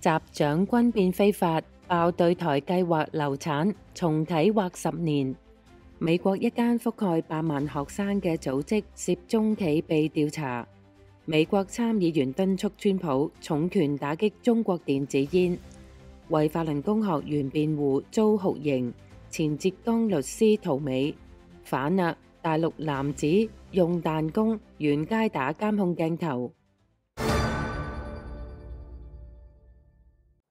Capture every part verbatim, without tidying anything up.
習長軍變非法，爆對台計劃流產，重啟或十年。美國一間覆蓋百萬學生嘅組織涉中企被調查。美國參議員敦促川普重拳打擊中國電子煙。為法輪功學員辯護遭酷刑。前浙江律師逃美。反啦！大陸男子用彈弓沿街打監控鏡頭。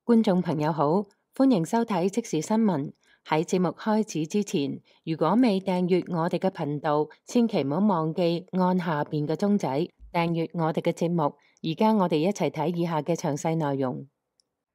觀眾朋友好，歡迎收睇即時新聞。喺節目開始之前，如果未訂閱我哋嘅頻道，千祈唔好忘記按下邊嘅鐘仔訂閱我哋嘅節目。而家我哋一齊睇以下嘅詳細內容。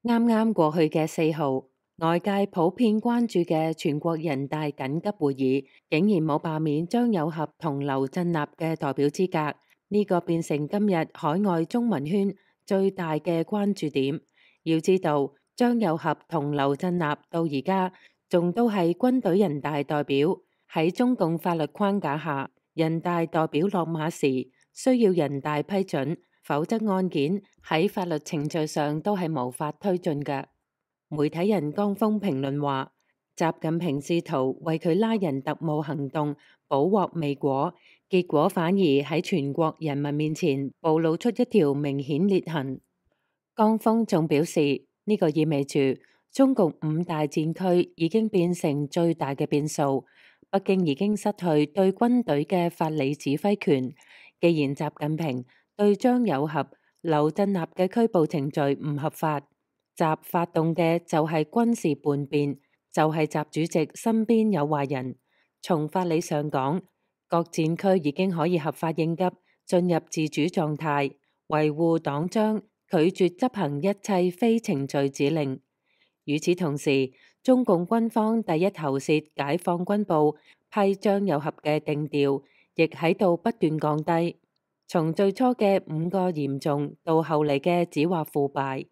啱啱過去嘅四號，外界普遍關注嘅全國人大緊急會議，竟然冇罷免張又俠同劉振立嘅代表資格，呢、這個變成今日海外中文圈最大嘅關注點。要知道，張又俠同劉振立到而家仲都係軍隊人大代表，喺中共法律框架下，人大代表落馬時需要人大批准，否則案件喺法律程序上都係無法推進嘅。媒體人江峰評論話，習近平試圖為佢拉人特務行動補獲未果，結果反而喺全國人民面前暴露出一條明顯裂痕。江峰仲表示，呢、這個意味住中共五大戰區已經變成最大嘅變數，北京已經失去對軍隊嘅法理指揮權。既然習近平對張又俠、劉振立嘅拘捕程序唔合法，習發動嘅就係軍事叛變，就係、是、習主席身邊有壞人。從法理上講，各戰區已經可以合法應急，進入自主狀態，維護黨章，拒絕執行一切非程序指令。與此同時，中共軍方第一頭鍥解放軍部批張又俠嘅定調，亦喺度不斷降低。從最初嘅五個嚴重到後嚟嘅只話腐敗。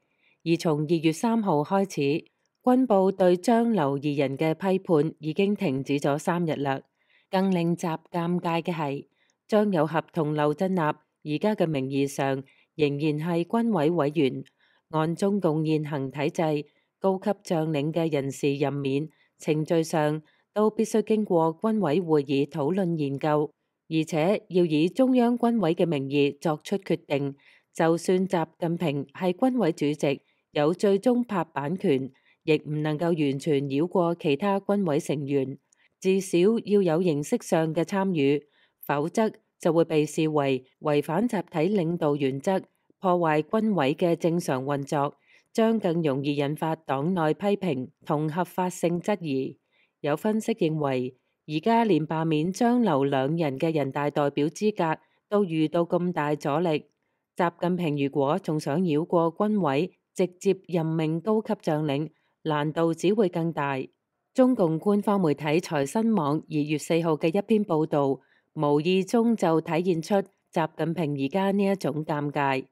而從二月三號開始，軍部對張劉二人嘅批判已經停止咗三日啦。更令習尷尬嘅係，張又俠同劉振立而家嘅名義上仍然係軍委委員，按中共現行體制，高級將領嘅人事任免程序上都必須經過軍委會議討論研究，而且要以中央軍委嘅名義作出決定。就算習近平係軍委主席，有最終拍板權，亦唔能夠完全繞過其他軍委成員，至少要有形式上嘅參與，否則就會被視為違反集體領導原則，破壞軍委嘅正常運作，將更容易引發黨內批評同合法性質疑。有分析認為，而家連罷免張劉兩人嘅人大代表資格都遇到咁大阻力，習近平如果仲想繞過軍委，直接任命高級將領，難度只會更大。中共官方媒體財新網二月四號嘅一篇報道，無意中就體現出習近平而家呢一種尷尬。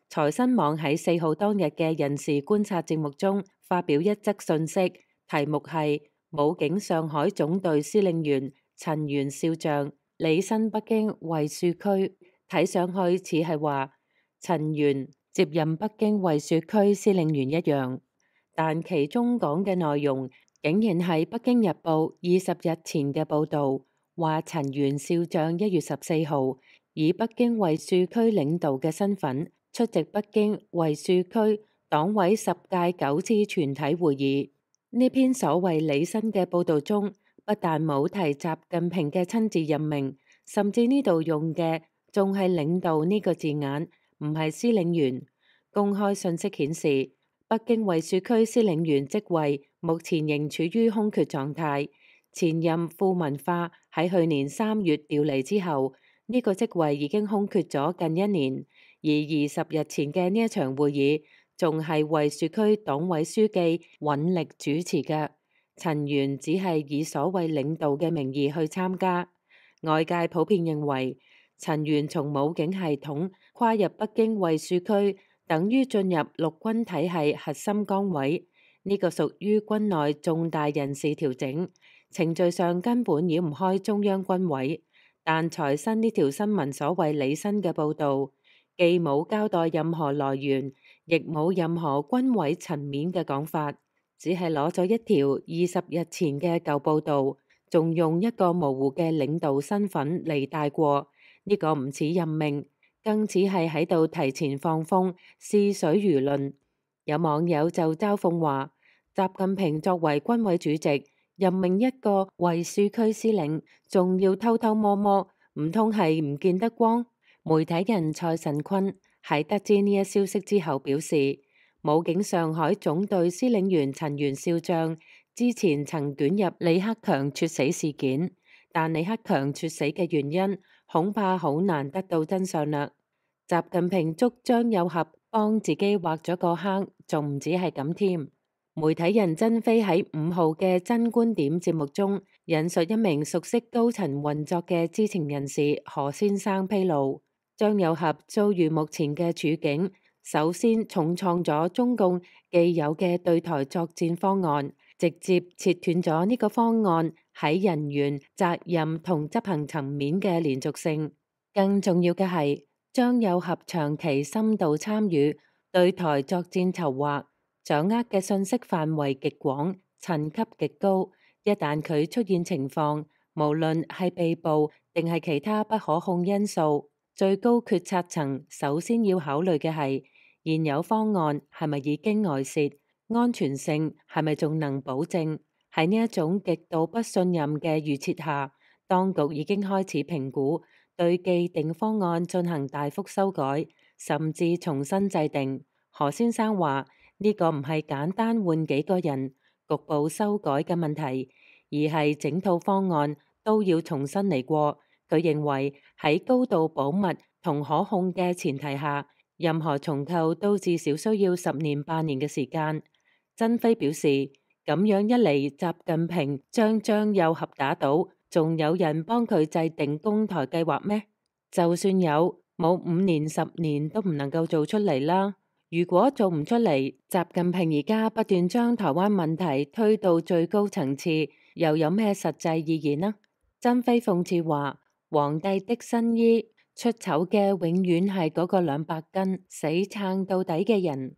財新網喺四號當日嘅人事觀察節目中發表一則信息，題目係武警上海總隊司令員陳元少將履新北京衛戍區，睇上去似係話陳元接任北京衛戍區司令員一樣，但其中講嘅內容竟然係《北京日報》二十日前嘅報導，話陳元少將一月十四號以北京衛戍區領導嘅身份出席北京衛戍區黨委十屆九次全體會議。呢篇所謂履新嘅報導中，不但冇提習近平嘅親自任命，甚至呢度用嘅仲係領導呢個字眼，唔係司令員。公開信息顯示，北京衛戍區司令員職位目前仍處於空缺狀態。前任傅文化喺去年三月調離之後，呢個職位已經空缺咗近一年。而二十日前嘅呢一場會議，仲係衛戍區黨委書記尹力主持嘅。陳元只係以所謂領導嘅名義去參加。外界普遍認為，陳元從武警系統跨入北京衛戍區，等於進入陸軍體系核心崗位。呢、這個屬於軍內重大人事調整，程序上根本繞唔開中央軍委。但財新呢條新聞所謂履新嘅報導，既冇交代任何來源，亦冇任何軍委層面嘅講法，只係攞咗一條二十日前嘅舊報導，仲用一個模糊嘅領導身份嚟帶過。呢個唔似任命，更似係喺度提前放風，試水輿論。有網友就嘲諷話，習近平作為軍委主席，任命一個衛戍區司令，仲要偷偷摸摸，唔通係唔見得光？媒體人蔡慎坤喺得知呢一消息之後表示，武警上海總隊司令員陳元少將之前曾捲入李克強猝死事件，但李克強猝死嘅原因恐怕好難得到真相啦。習近平捉張又俠幫自己挖咗個坑，仲唔止係咁添。媒體人曾飛喺五號嘅真觀點節目中引述一名熟悉高層運作嘅知情人士何先生披露，張又俠遭遇目前嘅處境，首先重創咗中共既有嘅對台作戰方案，直接切斷咗呢個方案喺人員、責任同執行層面嘅連續性。更重要嘅係，張又俠長期深度參與對台作戰籌劃，掌握嘅信息範圍極廣，層級極高。一旦佢出現情況，無論係被捕定係其他不可控因素，最高決策層首先要考慮嘅係現有方案係咪已經外泄，安全性係咪仲能保證。喺呢一種極度不信任嘅預設下，當局已經開始評估對既定方案進行大幅修改，甚至重新制定。何先生話呢個唔係簡單換幾個人局部修改嘅問題，而係整套方案都要重新嚟過。佢認為喺高度保密同可控嘅前提下，任何重構都至少需要十年八年嘅時間。曾飛表示，咁樣一嚟，習近平將張又俠打倒，仲有人幫佢制定攻台計劃咩？就算有，冇五年十年都唔能夠做出嚟啦。如果做唔出嚟，習近平而家不斷將台灣問題推到最高層次，又有咩實際意義呢？曾飛諷刺話，皇帝的新衣出醜嘅永遠係嗰個兩百斤死撐到底嘅人。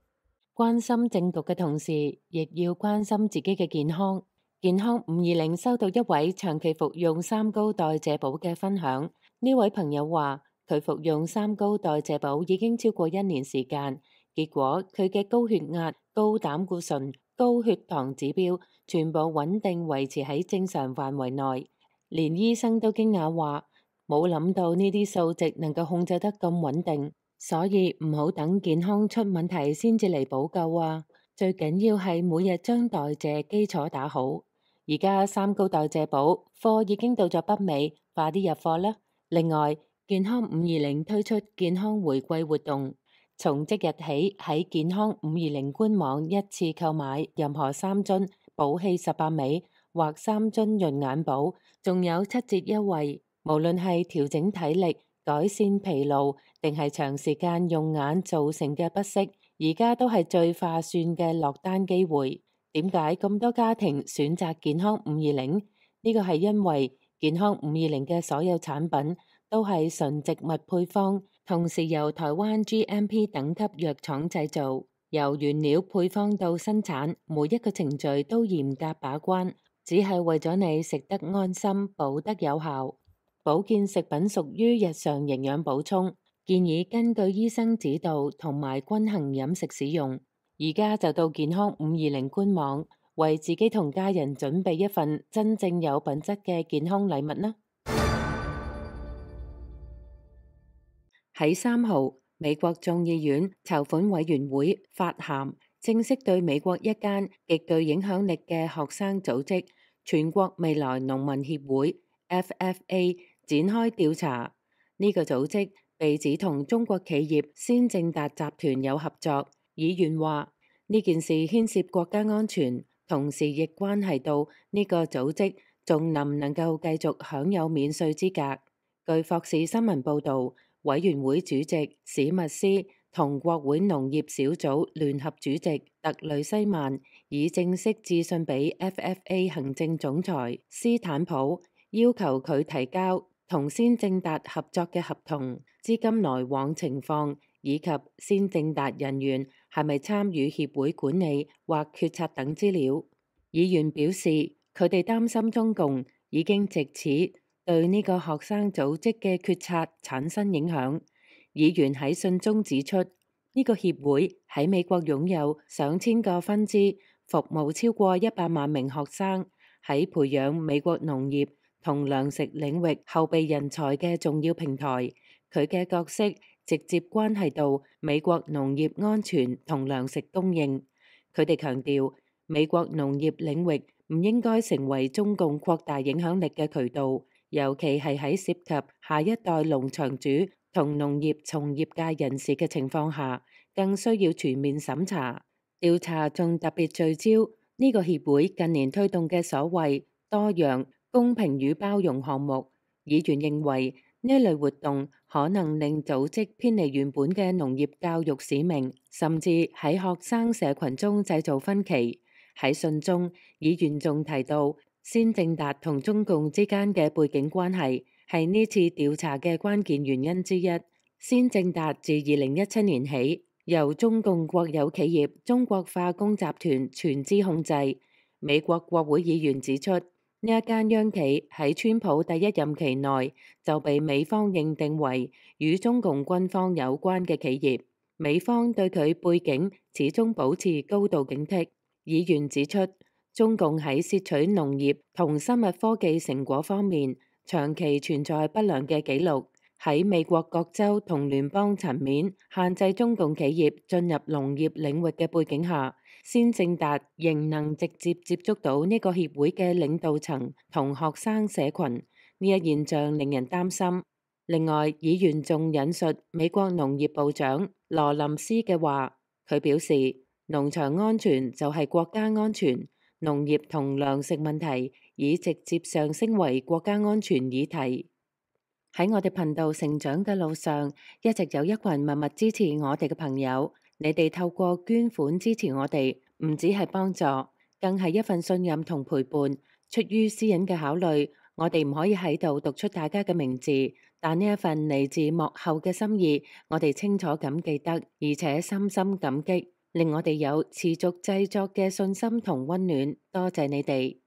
關心政局嘅同時，亦要關心自己嘅健康。健康五二零收到一位長期服用三高代謝寶嘅分享。呢位朋友話，佢服用三高代謝寶已經超過一年時間，結果佢嘅高血壓、高膽固醇、高血糖指標全部穩定維持喺正常範圍內。連醫生都驚訝話，冇諗到呢啲數值能夠控制得咁穩定，所以唔好等健康出問題先至嚟補救啊！最緊要係每日將代謝基礎打好。而家三高代謝寶貨已經到咗北美，快啲入貨啦！另外，健康五二零推出健康回饋活動，從即日起喺健康五二零官網一次購買任何三樽寶氣十八味或三樽潤眼寶，仲有七折優惠。無論係調整體力、改善疲勞，定係長時間用眼造成嘅不適，而家都係最划算嘅落單機會。點解咁多家庭選擇健康五二零？呢個係因為健康五二零嘅所有產品都係純植物配方，同時由台灣 G M P 等級藥廠製造，由原料配方到生產，每一個程序都嚴格把關，只係為咗你食得安心、補得有效。保健食品屬於日常營養補充，建議根據醫生指導同埋均衡飲食使用。而家就到健康五二零官網，為自己同家人準備一份真正有品質嘅健康禮物啦！喺三號，美國眾議院籌款委員會發函，正式對美國一間極具影響力嘅學生組織全國未來農民協會 F F A 展開調查。呢個組織被指同中國企業先正達集團有合作。議員話呢件事牽涉國家安全，同時亦關係到呢個組織仲能唔能夠繼續享有免稅資格。據霍士新聞報導，委員會主席史密斯同國會農業小組聯合主席特雷西曼已正式致信俾 F F A 行政總裁斯坦普，要求佢提交同先正達合作嘅合同、資金來往情況以及先正達人員係咪參與協會管理或決策等資料。議員表示，佢哋擔心中共已經藉此對呢個學生組織嘅決策產生影響。議員喺信中指出，呢個協會喺美國擁有上千個分支，服務超過一百萬名學生，喺培養美國農業同糧食領域後備人才嘅重要平台。佢嘅角色直接關係到美國農業安全同糧食供應。佢哋強調，美國農業領域唔應該成為中共擴大影響力嘅渠道，尤其係喺涉及下一代農場主同農業從業界人士嘅情況下，更需要全面審查。調查仲特別聚焦呢個協會近年推動嘅所謂多樣、公平與包容項目。議員認為呢類活動可能令組織偏離原本嘅農業教育使命，甚至喺學生社群中製造分歧。喺信中，議員仲提到先正達同中共之間嘅背景關係係呢次調查嘅關鍵原因之一。先正達自二零一七年起由中共國有企業中國化工集團全資控制。美國國會議員指出，呢一間央企喺川普第一任期內就被美方認定為與中共軍方有關嘅企業，美方對佢背景始終保持高度警惕。議員指出，中共喺竊取農業同生物科技成果方面長期存在不良嘅記錄。喺美國各州同聯邦層面限制中共企業進入農業領域嘅背景下，先正達仍能直接接觸到呢個協會嘅領導層同學生社群，呢一現象令人擔心。另外，議員仲引述美國農業部長羅林斯嘅話，佢表示農場安全就係國家安全，農業同糧食問題已直接上升為國家安全議題。喺我哋頻道成長嘅路上，一直有一群默默支持我哋嘅朋友。你哋透過捐款支持我哋，唔止係幫助，更係一份信任同陪伴。出於私隱嘅考慮，我哋唔可以喺度讀出大家嘅名字，但呢一份嚟自幕後嘅心意，我哋清楚咁記得，而且深深感激，令我哋有持續製作嘅信心同溫暖。多謝你哋。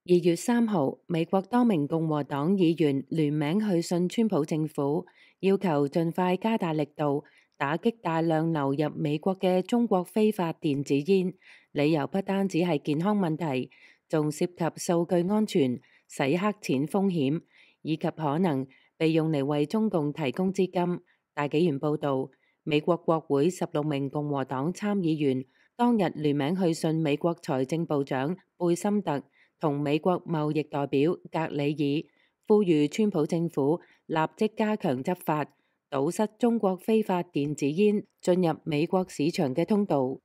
二月三號，美國多名共和黨議員聯名去信川普政府，要求盡快加大力度打擊大量流入美國嘅中國非法電子煙。理由不單止係健康問題，仲涉及數據安全、洗黑錢風險，以及可能被用嚟為中共提供資金。大紀元報導，美國國會十六名共和黨參議員當日聯名去信美國財政部長貝森特同美國貿易代表格里爾，呼籲川普政府立即加強執法，堵塞中國非法電子煙進入美國市場嘅通道。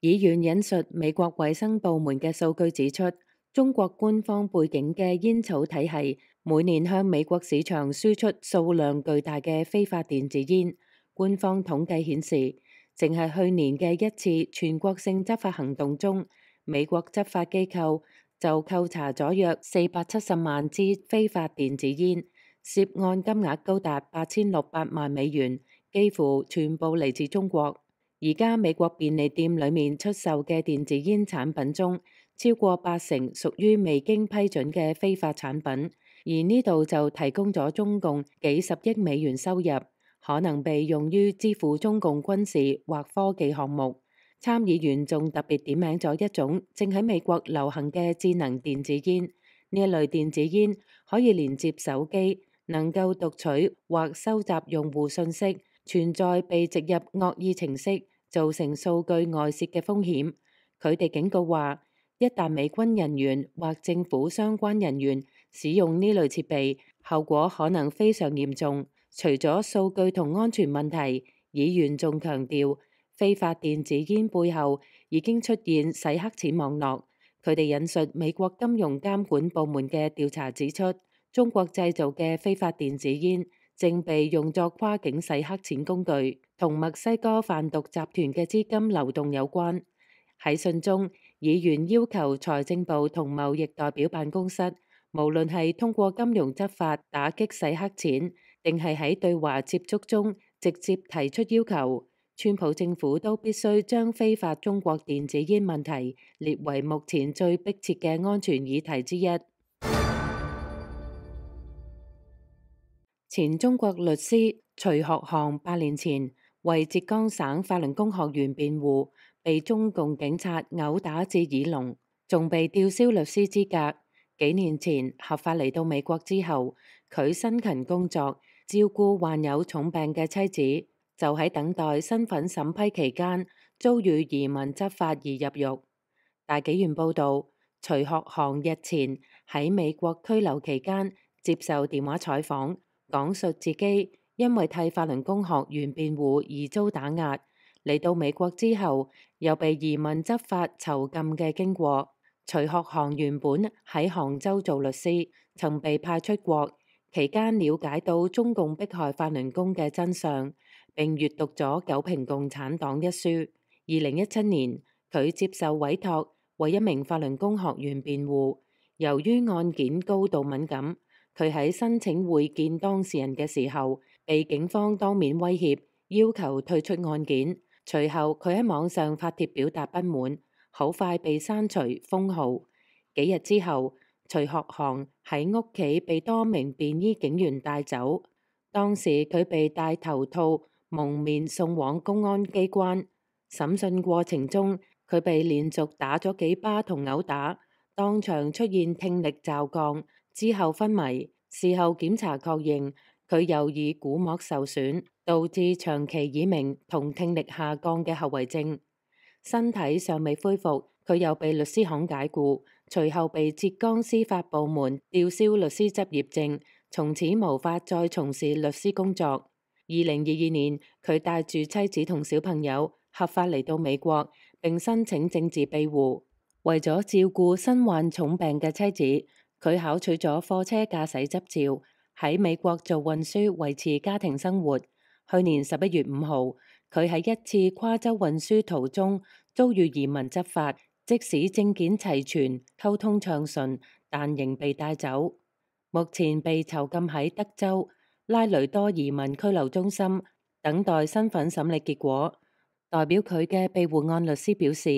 議員引述美國衛生部門嘅數據指出，中國官方背景嘅煙草體系每年向美國市場輸出數量巨大嘅非法電子煙。官方統計顯示，淨係去年嘅一次全國性執法行動中，美國執法機構就扣查咗約四百七十萬支非法電子煙，涉案金額高達八千六百萬美元，幾乎全部嚟自中國。而家美國便利店裏面出售嘅電子煙產品中，超過八成屬於未經批准嘅非法產品，而呢度就提供咗中共幾十億美元收入，可能被用於支付中共軍事或科技項目。參議員仲特別點名咗一種正喺美國流行嘅智能電子煙。呢一類電子煙可以連接手機，能夠讀取或收集用戶信息，存在被植入惡意程式，造成數據外泄嘅風險。佢哋警告話，一旦美軍人員或政府相關人員使用呢類設備，後果可能非常嚴重。除咗數據同安全問題，議員仲強調，非法電子煙背後已經出現洗黑錢網絡。佢哋引述美國金融監管部門嘅調查指出，中國製造嘅非法電子煙正被用作跨境洗黑錢工具，同墨西哥販毒集團嘅資金流動有關。喺信中，議員要求財政部同貿易代表辦公室無論係通過金融執法打擊洗黑錢，定係喺對華接觸中直接提出要求，川普政府都必須將非法中國電子煙問題列為目前最迫切嘅安全議題之一。前中國律師徐學航八年前為浙江省法輪功學員辯護，被中共警察毆打至耳聾，仲被吊銷律師資格。幾年前合法嚟到美國之後，佢辛勤工作，照顧患有重病嘅妻子，就喺等待身份審批期間，遭遇移民執法而入獄。大紀元報道，徐學航日前喺美國拘留期間接受電話採訪，講述自己因為替法輪功學員辯護而遭打壓，嚟到美國之後又被移民執法囚禁嘅經過。徐學航原本喺杭州做律師，曾被派出國，期間了解到中共迫害法輪功嘅真相，並閱讀咗《九評共產黨》一書。二零一七年，佢接受委託為一名法輪功學員辯護，由於案件高度敏感，佢喺申請會見當事人嘅時候，被警方當面威脅，要求退出案件。隨後佢喺網上發帖表達不滿，好快被刪除封號。幾日之後，徐學航喺屋企被多名便衣警員帶走，當時佢被戴頭套蒙面送往公安機關。審訊過程中，佢被連續打咗幾巴同毆打，當場出現聽力驟降，之後昏迷。事後檢查確認，佢有耳鼓膜受損，導致長期耳鳴同聽力下降嘅後遺症。身體尚未恢復，佢又被律師行解雇，隨後被浙江司法部門吊銷律師執業證，從此無法再從事律師工作。二零二二年，佢帶住妻子同小朋友合法嚟到美國，並申請政治庇護。為咗照顧身患重病嘅妻子，佢考取咗貨車駕駛執照，喺美國做運輸維持家庭生活。去年十一月五號，佢喺一次跨州運輸途中遭遇移民執法，即使證件齊全、溝通暢順，但仍被帶走。目前被囚禁喺德州拉雷多移民拘留中心，等待身份審理結果。代表佢嘅庇護案律師表示，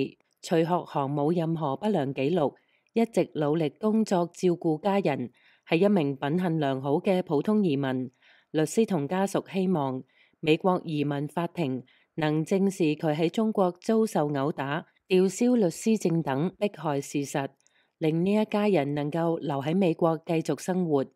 徐學航冇任何不良記錄，一直努力工作照顧家人，係一名品行良好嘅普通移民。律師同家屬希望美國移民法庭能正視佢喺中國遭受毆打、吊銷律師證等迫害事實，令呢一家人能夠留喺美國繼續生活。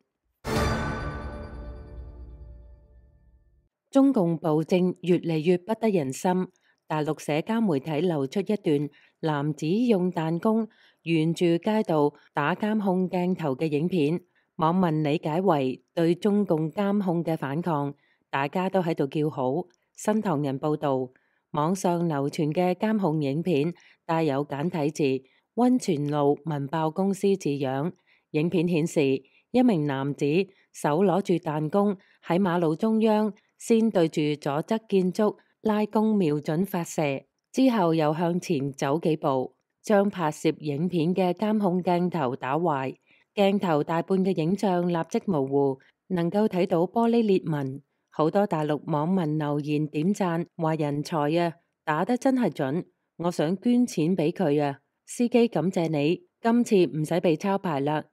中共暴政越嚟越不得人心，大陸社交媒體流出一段男子用彈弓沿住街道打監控鏡頭嘅影片，網民理解為對中共監控嘅反抗，大家都喺度叫好。新唐人報道，網上流傳嘅監控影片帶有簡體字溫泉路文爆公司字樣。影片顯示一名男子手攞住彈弓喺馬路中央，先對住左側建築拉弓瞄準發射，之後又向前走幾步，將拍攝影片嘅監控鏡頭打壞。鏡頭大半嘅影像立即模糊，能夠睇到玻璃裂紋。好多大陸網民留言點讚，話人才啊，打得真係準，我想捐錢俾佢啊。司機感謝你，今次唔使被抄牌啦。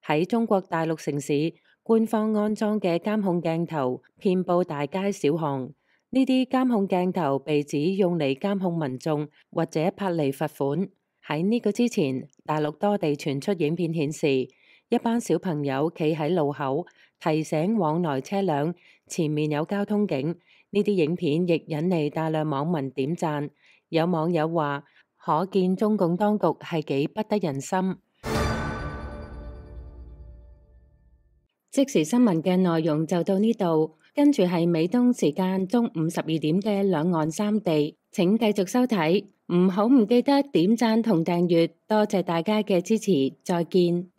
喺中國大陸城市，官方安裝嘅監控鏡頭遍佈大街小巷，呢啲監控鏡頭被指用嚟監控民眾或者拍嚟罰款。喺呢個之前，大陸多地傳出影片顯示，一班小朋友企喺路口提醒往來車輛前面有交通警，呢啲影片亦引嚟大量網民點讚。有網友話，可見中共當局係幾不得人心。即時新聞嘅內容就到呢度，跟住係美東時間中午十二點嘅兩岸三地，請繼續收睇，唔好唔記得點讚同訂閱，多謝大家嘅支持，再見。